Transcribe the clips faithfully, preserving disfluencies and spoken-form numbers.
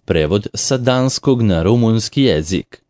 Prevod sa danskog na rumunski jezik.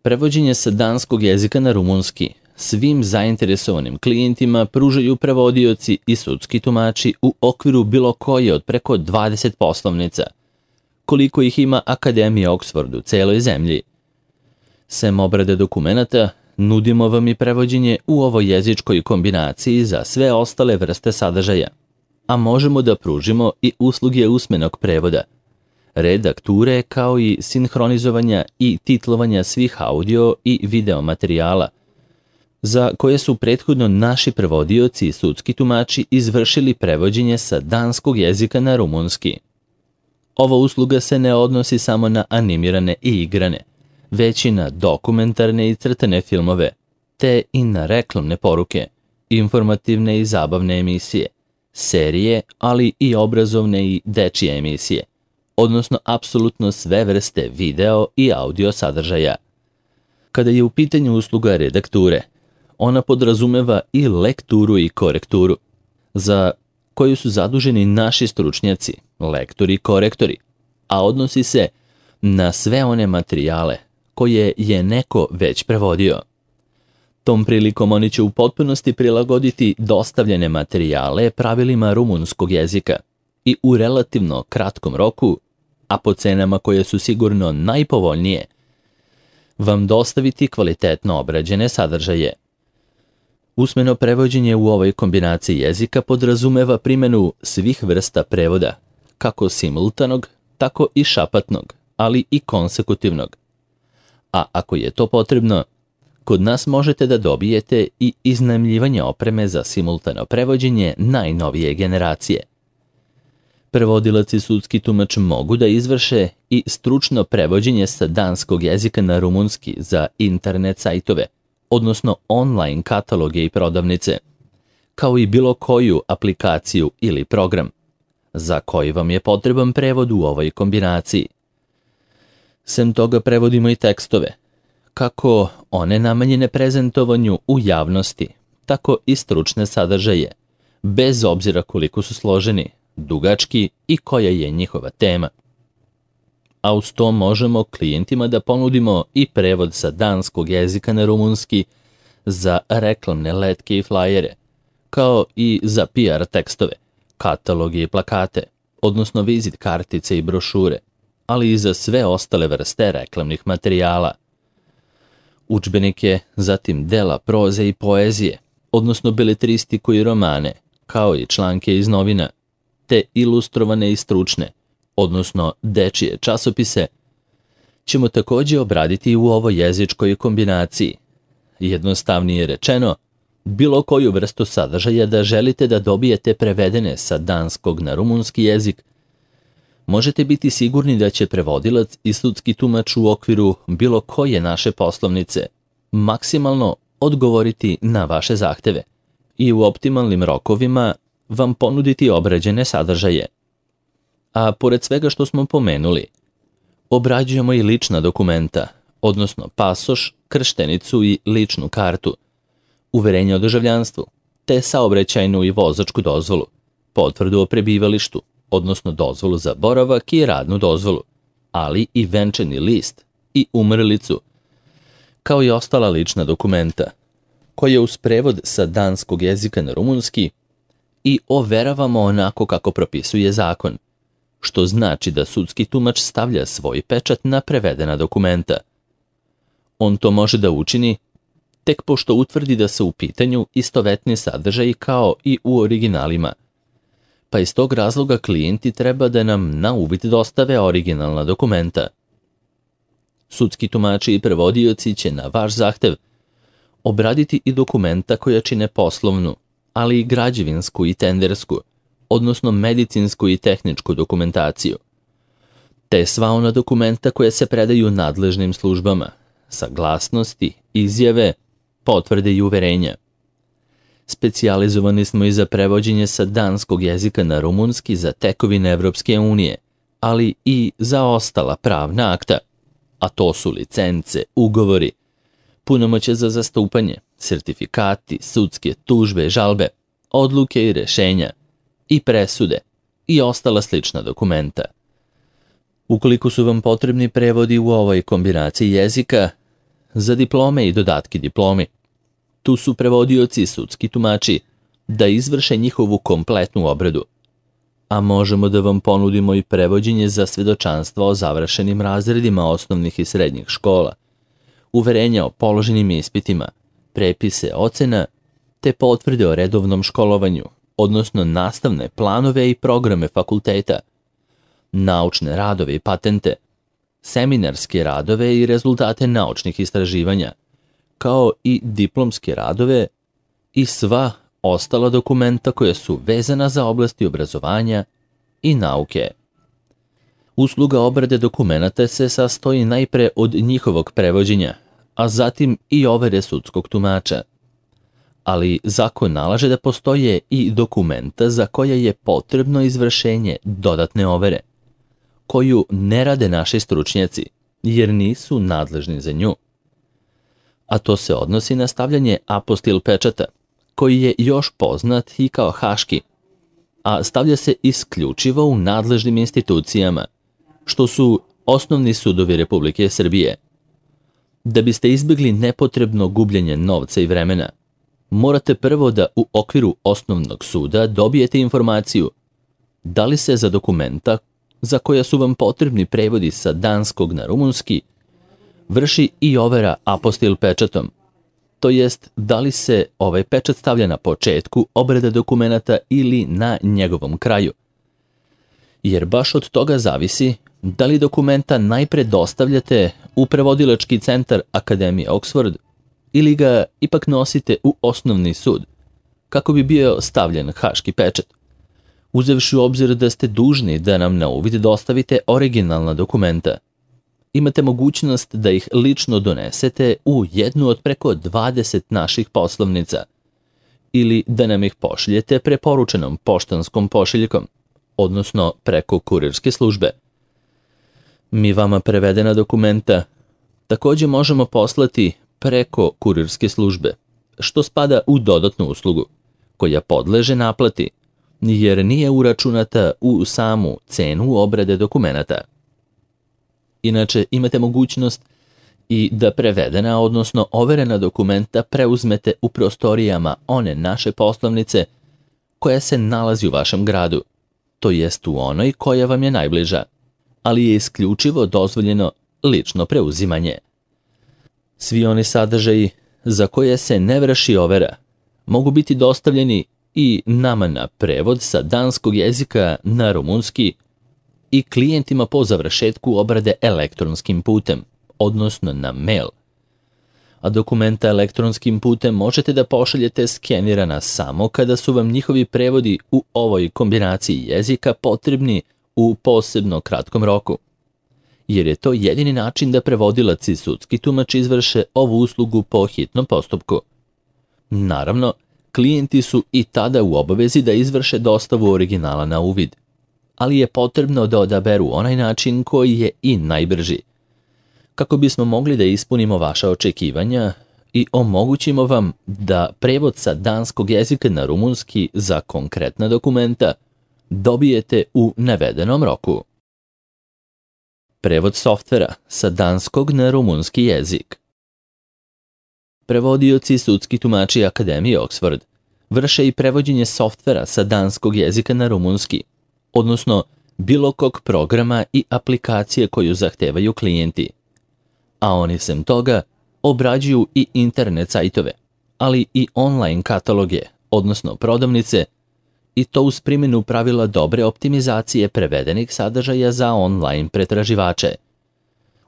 Prevođenje sa danskog jezika na rumunski svim zainteresovanim klijentima pružaju prevodioci i sudski tumači u okviru bilo koje od preko dvadeset poslovnica, koliko ih ima Akademija Oxford u celoj zemlji. Sem obrade dokumenata, nudimo vam i prevođenje u ovoj jezičkoj kombinaciji za sve ostale vrste sadržaja, a možemo da pružimo i usluge usmenog prevoda, redakture kao i sinhronizovanja i titlovanja svih audio i video materijala, za koje su prethodno naši prevodioci i sudski tumači izvršili prevođenje sa danskog jezika na rumunski. Ova usluga se ne odnosi samo na animirane i igrane, već i na dokumentarne i crtane filmove, te i na reklamne poruke, informativne i zabavne emisije, serije, ali i obrazovne i dečije emisije, odnosno apsolutno sve vrste video i audio sadržaja. Kada je u pitanju usluga redakture, ona podrazumeva i lekturu i korekturu, za koju su zaduženi naši stručnjaci, lektori i korektori, a odnosi se na sve one materijale koje je neko već prevodio. Tom prilikom oni će u potpunosti prilagoditi dostavljene materijale pravilima rumunskog jezika i u relativno kratkom roku, a po cenama koje su sigurno najpovoljnije, vam dostaviti kvalitetno obrađene sadržaje. Usmeno prevođenje u ovoj kombinaciji jezika podrazumeva primjenu svih vrsta prevoda, kako simultanog, tako i šapatnog, ali i konsekutivnog. A ako je to potrebno, kod nas možete da dobijete i iznajmljivanje opreme za simultano prevođenje najnovije generacije. Prevodilac i sudski tumač mogu da izvrše i stručno prevođenje sa danskog jezika na rumunski za internet sajtove, odnosno online kataloge i prodavnice, kao i bilo koju aplikaciju ili program, za koji vam je potreban prevod u ovoj kombinaciji. Sem toga prevodimo i tekstove, kako one namenjene prezentovanju u javnosti, tako i stručne sadržaje, bez obzira koliko su složeni, dugački i koja je njihova tema. A uz to možemo klijentima da ponudimo i prevod sa danskog jezika na rumunski za reklamne letke i flajere, kao i za P R tekstove, kataloge i plakate, odnosno vizit kartice i brošure, ali i za sve ostale vrste reklamnih materijala. Udžbenike, zatim dela proze i poezije, odnosno beletristiku i romane, kao i članke iz novina, te ilustrovane i stručne, odnosno dečije časopise, ćemo također obraditi u ovoj jezičkoj kombinaciji. Jednostavnije rečeno, bilo koju vrstu sadržaja da želite da dobijete prevedene sa danskog na rumunski jezik, možete biti sigurni da će prevodilac i sudski tumač u okviru bilo koje naše poslovnice maksimalno odgovoriti na vaše zahteve i u optimalnim rokovima vam ponuditi obrađene sadržaje. A pored svega što smo pomenuli, obrađujemo i lična dokumenta, odnosno pasoš, krštenicu i ličnu kartu, uverenje o državljanstvu, te saobraćajnu i vozačku dozvolu, potvrdu o prebivalištu, odnosno dozvolu za boravak i radnu dozvolu, ali i venčani list i umrlicu, kao i ostala lična dokumenta, koje uz prevod sa danskog jezika na rumunski i overavamo onako kako propisuje zakon, što znači da sudski tumač stavlja svoj pečat na prevedena dokumenta. On to može da učini tek pošto utvrdi da su u pitanju istovetni sadržaji kao i u originalima, pa iz tog razloga klijenti treba da nam na uvid dostave originalna dokumenta. Sudski tumači i prevodioci će na vaš zahtev obraditi i dokumenta koja čine poslovnu, ali i građevinsku i tendersku, odnosno medicinsku i tehničku dokumentaciju, te sva ona dokumenta koja se predaju nadležnim službama, saglasnosti, izjave, potvrde i uverenja. Specijalizovani smo i za prevođenje sa danskog jezika na rumunski za tekovine Evropske unije, ali i za ostala pravna akta, a to su licence, ugovori, punomoćje za zastupanje, sertifikati, sudske tužbe, žalbe, odluke i rešenja, i presude, i ostala slična dokumenta. Ukoliko su vam potrebni prevodi u ovoj kombinaciji jezika, za diplome i dodatke diplomi, tu su prevodioci i sudski tumači da izvrše njihovu kompletnu obradu, a možemo da vam ponudimo i prevođenje za svedočanstva o završenim razredima osnovnih i srednjih škola, uverenja o položenim ispitima, prepise ocena, te potvrde o redovnom školovanju, odnosno nastavne planove i programe fakulteta, naučne radove i patente, seminarske radove i rezultate naučnih istraživanja, kao i diplomske radove i sva ostala dokumenta koja su vezana za oblasti obrazovanja i nauke. Usluga obrade dokumenata se sastoji najpre od njihovog prevođenja, a zatim i overe sudskog tumača. Ali zakon nalaže da postoje i dokumenta za koje je potrebno izvršenje dodatne overe, koju ne rade naši stručnjaci, jer nisu nadležni za nju. A to se odnosi na stavljanje apostil pečata, koji je još poznat i kao haški, a stavlja se isključivo u nadležnim institucijama, što su osnovni sudovi Republike Srbije. Da biste izbjegli nepotrebno gubljenje novca i vremena, morate prvo da u okviru osnovnog suda dobijete informaciju da li se za dokumenta za koja su vam potrebni prevodi sa danskog na rumunski vrši i overa apostil pečatom, to jest da li se ovaj pečat stavlja na početku obrade dokumenata ili na njegovom kraju. Jer baš od toga zavisi da li dokumenta najpre dostavljate u prevodilački centar Akademije Oxford ili ga ipak nosite u osnovni sud, kako bi bio stavljen haški pečat, uzevši u obzir da ste dužni da nam na uvid dostavite originalna dokumenta. Imate mogućnost da ih lično donesete u jednu od preko dvadeset naših poslovnica ili da nam ih pošaljete preporučenom poštanskom pošiljkom, odnosno preko kurirske službe. Mi vama prevedena dokumenta također možemo poslati preko kurirske službe, što spada u dodatnu uslugu, koja podleže naplati, jer nije uračunata u samu cenu obrade dokumenata. Inače, imate mogućnost i da prevedena, odnosno overena dokumenta preuzmete u prostorijama one naše poslovnice koja se nalazi u vašem gradu, to jest u onoj koja vam je najbliža, ali je isključivo dozvoljeno lično preuzimanje. Svi oni sadržaji za koje se ne vrši overa mogu biti dostavljeni i nama na prevod sa danskog jezika na rumunski i klijentima po završetku obrade elektronskim putem, odnosno na mail. A dokumenta elektronskim putem možete da pošaljete skenirana samo kada su vam njihovi prevodi u ovoj kombinaciji jezika potrebni u posebno kratkom roku, jer je to jedini način da prevodilac i sudski tumač izvrše ovu uslugu po hitnom postupku. Naravno, klijenti su i tada u obavezi da izvrše dostavu originala na uvid, ali je potrebno da odaberu onaj način koji je i najbrži, kako bismo mogli da ispunimo vaša očekivanja i omogućimo vam da prevod sa danskog jezika na rumunski za konkretna dokumenta dobijete u navedenom roku. Prevod softvera sa danskog na rumunski jezik. Prevodioci i sudski tumači Akademije Oxford vrše i prevođenje softvera sa danskog jezika na rumunski, odnosno bilo kog programa i aplikacije koju zahtevaju klijenti. A oni sem toga obrađuju i internet sajtove, ali i online kataloge, odnosno prodavnice, i to uz primjenu pravila dobre optimizacije prevedenih sadržaja za online pretraživače.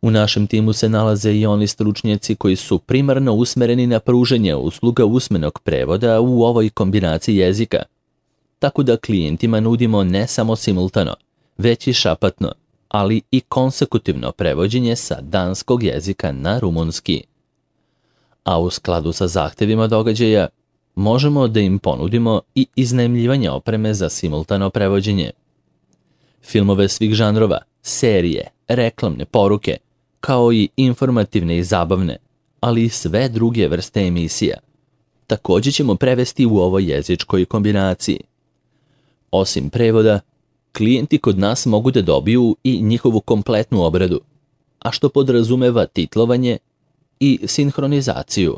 U našem timu se nalaze i oni stručnjaci koji su primarno usmereni na pružanje usluga usmenog prevoda u ovoj kombinaciji jezika, tako da klijentima nudimo ne samo simultano, već i šapatno, ali i konsekutivno prevođenje sa danskog jezika na rumunski. A u skladu sa zahtevima događaja, možemo da im ponudimo i iznajmljivanje opreme za simultano prevođenje. Filmove svih žanrova, serije, reklamne poruke, kao i informativne i zabavne, ali i sve druge vrste emisija, također ćemo prevesti u ovoj jezičkoj kombinaciji. Osim prevoda, klijenti kod nas mogu da dobiju i njihovu kompletnu obradu, a što podrazumeva titlovanje i sinhronizaciju.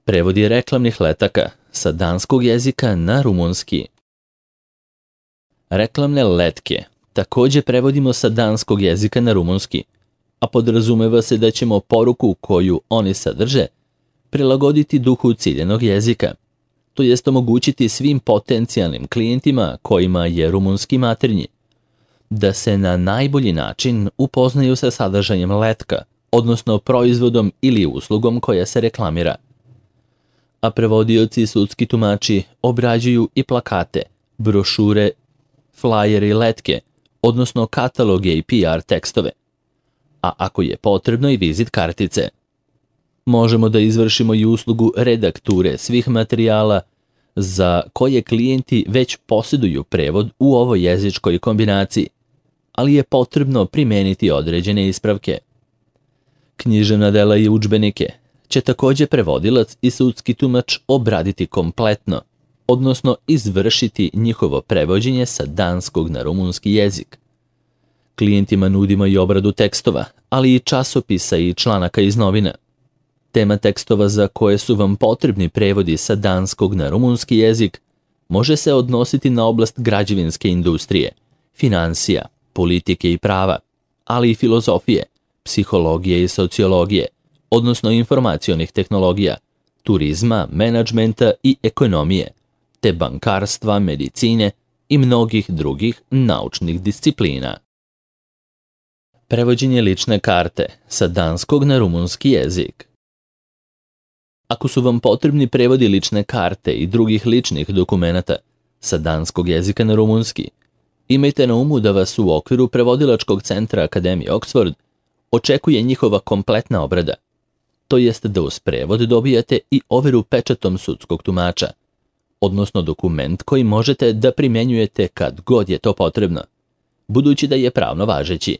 Prevodi reklamnih letaka sa danskog jezika na rumunski. Reklamne letke takođe prevodimo sa danskog jezika na rumunski, a podrazumeva se da ćemo poruku koju oni sadrže prilagoditi duhu ciljanog jezika, to jest omogućiti svim potencijalnim klijentima kojima je rumunski maternji, da se na najbolji način upoznaju sa sadržajem letka, odnosno proizvodom ili uslugom koja se reklamira. A prevodioci i sudski tumači obrađuju i plakate, brošure, flajere i letke, odnosno kataloge i P R tekstove, a ako je potrebno i vizit kartice. Možemo da izvršimo i uslugu redakture svih materijala za koje klijenti već posjeduju prevod u ovoj jezičkoj kombinaciji, ali je potrebno primeniti određene ispravke. Književna dela i udžbenike će takođe prevodilac i sudski tumač obraditi kompletno, odnosno izvršiti njihovo prevođenje sa danskog na rumunski jezik. Klijentima nudimo i obradu tekstova, ali i časopisa i članaka iz novina. Tema tekstova za koje su vam potrebni prevodi sa danskog na rumunski jezik može se odnositi na oblast građevinske industrije, finansija, politike i prava, ali i filozofije, psihologije i sociologije, odnosno informacionih tehnologija, turizma, menadžmenta i ekonomije, te bankarstva, medicine i mnogih drugih naučnih disciplina. Prevođenje lične karte sa danskog na rumunski jezik. Ako su vam potrebni prevodi lične karte i drugih ličnih dokumenata sa danskog jezika na rumunski, imajte na umu da vas u okviru prevodilačkog centra Akademije Oxford očekuje njihova kompletna obrada, to jest da uz prevod dobijate i overu pečatom sudskog tumača, odnosno dokument koji možete da primjenjujete kad god je to potrebno, budući da je pravno važeći.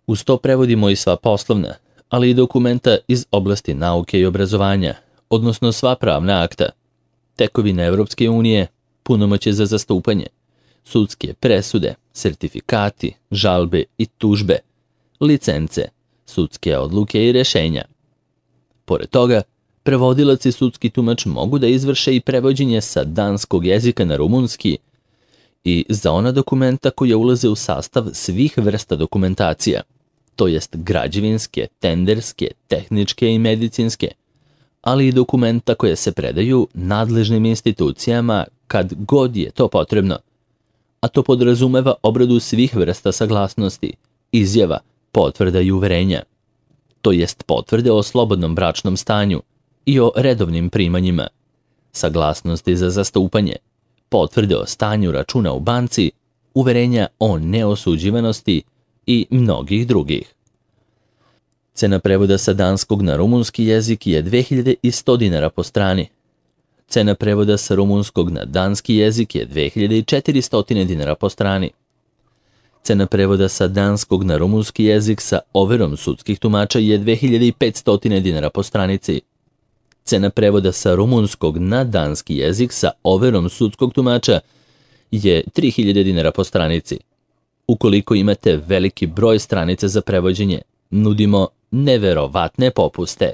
Uz to prevodimo i sva poslovna, ali i dokumenta iz oblasti nauke i obrazovanja, odnosno sva pravna akta, tekovine Evropske unije, punomoćje za zastupanje, sudske presude, sertifikati, žalbe i tužbe, licence, sudske odluke i rešenja. Pored toga, prevodilac i sudski tumač mogu da izvrše i prevođenje sa danskog jezika na rumunski i za ona dokumenta koja ulaze u sastav svih vrsta dokumentacija, to jest građevinske, tenderske, tehničke i medicinske, ali i dokumenta koje se predaju nadležnim institucijama kad god je to potrebno, a to podrazumeva obradu svih vrsta saglasnosti, izjava, potvrda i uverenja, to jest potvrde o slobodnom bračnom stanju i o redovnim primanjima, saglasnosti za zastupanje, potvrde o stanju računa u banci, uverenja o neosuđivanosti i mnogih drugih. Cena prevoda sa danskog na rumunski jezik je dve hiljade sto dinara po strani. Cena prevoda sa rumunskog na danski jezik je dve hiljade četiristo dinara po strani. Cena prevoda sa danskog na rumunski jezik sa overom sudskih tumača je dve hiljade petsto dinara po stranici. Cena prevoda sa rumunskog na danski jezik sa overom sudskog tumača je tri hiljade dinara po stranici. Ukoliko imate veliki broj stranica za prevođenje, nudimo neverovatne popuste.